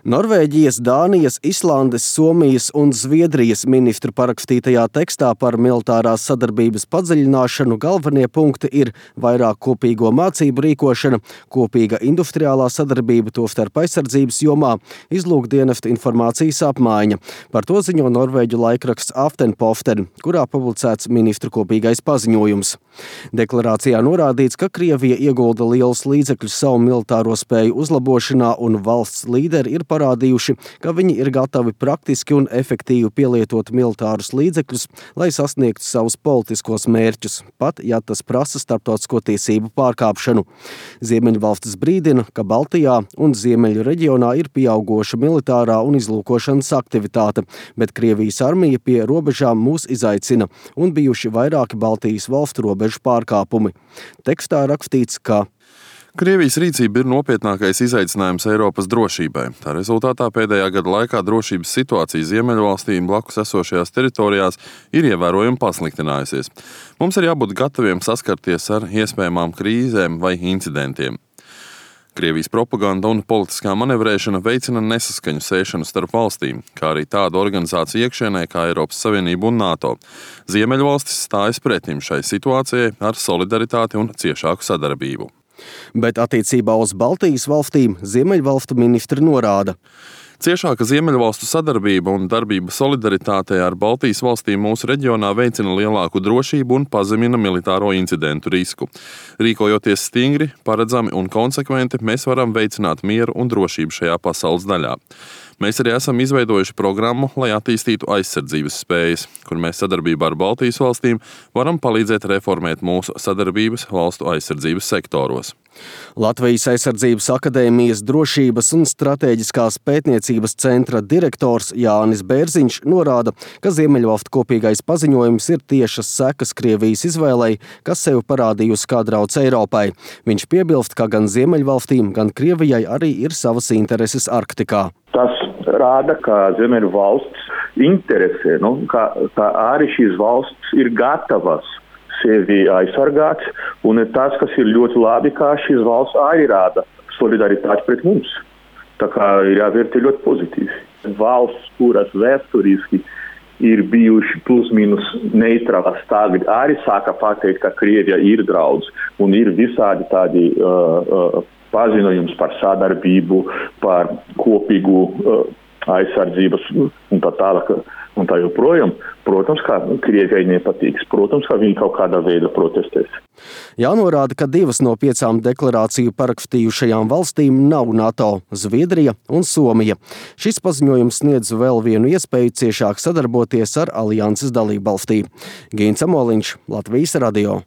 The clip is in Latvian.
Norvēģijas, Dānijas, Islandes, Somijas un Zviedrijas ministru parakstītajā tekstā par militārās sadarbības padziļināšanu galvenie punkti ir vairāk kopīgo mācību rīkošana, kopīga industriālā sadarbība tostarp aizsardzības jomā, izlūkdienestu informācijas apmaiņa. Par to ziņo norvēģu laikraksts Aftenpoften, kurā publicēts ministru kopīgais paziņojums. Deklarācijā norādīts, ka Krievija iegulda lielus līdzekļus savu militāro spēju uzlabošanā un valsts līderi ir parādījuši, ka viņi ir gatavi praktiski un efektīvi pielietot militārus līdzekļus, lai sasniegtu savus politiskos mērķus, pat ja tas prasa starptautisko tiesību pārkāpšanu. Ziemeļvalstis brīdina, ka Baltijā un Ziemeļu reģionā ir pieaugoša militārā un izlūkošanas aktivitāte, bet Krievijas armija pie robežām mūs izaicina un bijuši vairāki Baltijas valstu robežu pārkāpumi. Tekstā rakstīts, ka Krievijas rīcība ir nopietnākais izaicinājums Eiropas drošībai. Tā rezultātā pēdējā gada laikā drošības situācija Ziemeļvalstīm blakus esošajās teritorijās ir ievērojami pasliktinājusies. Mums ir jābūt gataviem saskarties ar iespējamām krīzēm vai incidentiem. Krievijas propaganda un politiskā manevrēšana veicina nesaskaņu sēšanu starp valstīm, kā arī tādu organizāciju iekšienē kā Eiropas Savienība un NATO. Ziemeļvalstis stājas pretim šai situācijai ar solidaritāti un ciešāku sadarbību. Bet attiecībā uz Baltijas valstīm Ziemeļvalstu ministri norāda: Ciešāka Ziemeļvalstu sadarbība un darbība solidaritātē ar Baltijas valstīm mūsu reģionā veicina lielāku drošību un pazemina militāro incidentu risku. Rīkojoties stingri, paredzami un konsekventi, mēs varam veicināt mieru un drošību šajā pasaules daļā. Mēs arī esam izveidojuši programmu, lai attīstītu aizsardzības spējas, kur mēs sadarbībā ar Baltijas valstīm varam palīdzēt reformēt mūsu sadarbības valstu aizsardzības sektoros. Latvijas aizsardzības akadēmijas drošības un stratēģiskās pētniecības centra direktors Jānis Bērziņš norāda, ka Ziemeļvalstu kopīgais paziņojums ir tiešas sekas Krievijas izvēlei, kas sev parādījusi kā drauds Eiropai. Viņš piebilst, ka gan Ziemeļvalstīm, gan Krievijai arī ir savas intereses Arktikā. Tas rāda, ka Ziemeļvalsts interesē, ka arī šīs valsts ir gatavas sevi aizsargāt, un tas, kas ir ļoti labi, kā šīs valsts arī rāda solidaritāti pret mums. Tā kā ir jāvērtē ļoti pozitīvi. Valsts, kuras vēsturiski ir bijuši plus mīnus neitrālas, tagad arī sāka pateikt, ka Krievija ir draudz, un ir visādi tādi paziņojums par sadarbību, par kopīgu aizsardzības un tā tālāk un tā joprojām. Protams, ka Krievijai nepatīks. Protams, ka viņi kaut kādā veidā protestēs. Jānorāda, ka 2 no 5 deklarāciju parakstījušajām valstīm nav NATO – Zviedrija un Somija. Šis paziņojums sniedz vēl vienu iespēju ciešāk sadarboties ar alianses dalībvalstīm. Gīns Amoliņš, Latvijas radio.